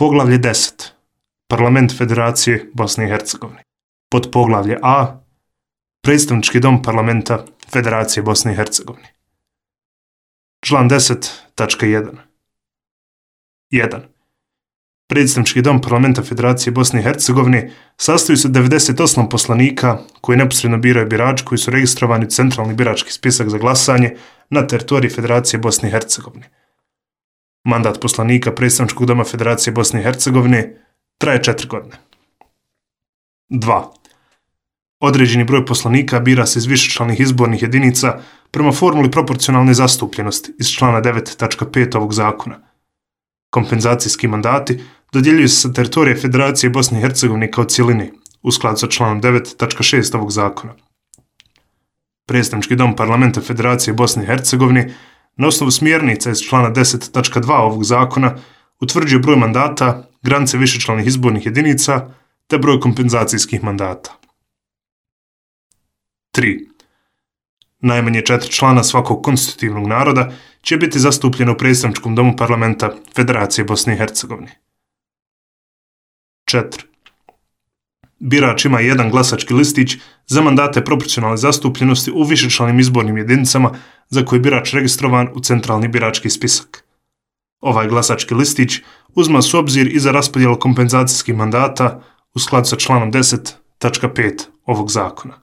Poglavlje 10. Parlament Federacije Bosne i Hercegovine. Podpoglavlje A. Predstavnički dom Parlamenta Federacije Bosne i Hercegovine. Član 10.1. 1. Predstavnički dom Parlamenta Federacije Bosne i Hercegovine sastoji se od 98 poslanika koji neposredno biraju birači koji su registrovani u centralni birački spisak za glasanje na teritoriji Federacije Bosne i Hercegovine. Mandat poslanika Predstavničkog doma Federacije Bosne i Hercegovine traje 4 godine. 2. Određeni broj poslanika bira se iz višečlanih izbornih jedinica prema formuli proporcionalne zastupljenosti iz člana 9.5 ovog zakona. Kompenzacijski mandati dodjeljuju se sa teritorije Federacije Bosne i Hercegovine kao cijeline, u skladu sa članom 9.6 ovog zakona. Predstavnički dom Parlamenta Federacije Bosne i Hercegovine na osnovu smjernica iz člana 10.2 ovog zakona utvrđuje broj mandata, granice višečlanih izbornih jedinica te broj kompenzacijskih mandata. 3. Najmanje 4 člana svakog konstitutivnog naroda će biti zastupljeno u Predstavničkom domu Parlamenta Federacije Bosne i Hercegovine. 4. Birač ima jedan glasački listić za mandate proporcionalne zastupljenosti u višečlanim izbornim jedinicama za koje je birač registrovan u centralni birački spisak. Ovaj glasački listić uzma se u obzir i za raspodjelu kompenzacijskih mandata u skladu sa članom 10.5 ovog zakona.